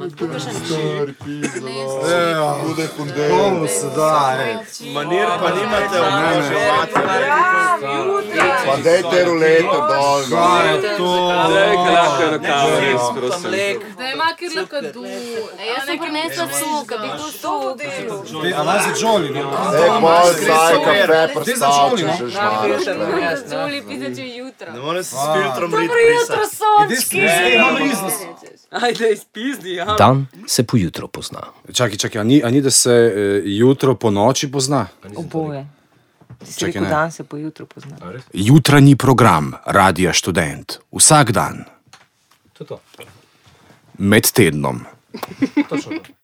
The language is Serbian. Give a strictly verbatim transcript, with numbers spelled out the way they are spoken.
tukaj še Stari pizda, Evo, bude kundel. komu se da, ej. Manir pa nimate oboževati. Pa dejte ruleto dol. Kaj je to? Zdaj, kaj lahko je rokav, res, prosim. Da ima kjer lahko du. Jaz sem prinesla sok, bi to sok. A naj za Jolly, ne? Ej, pol saj kafe Ti za Jolly, prstavče, no? že žmar. Joli pisa če jutro. Ne morem se s filtrom Dobro rit jutro, pisati. sončki. Ej, imam riznost. Ajde, izpizdi, ja. Dan se pojutro pozna. Čakaj, čakaj, a ni, a ni da se e, jutro po noči pozna? Oboje. Ti si Čakaj, rekel, ne. dan se po jutru pozna. Jutranji program Radia Študent. Vsak dan. To je to. Med tednom. Točno to.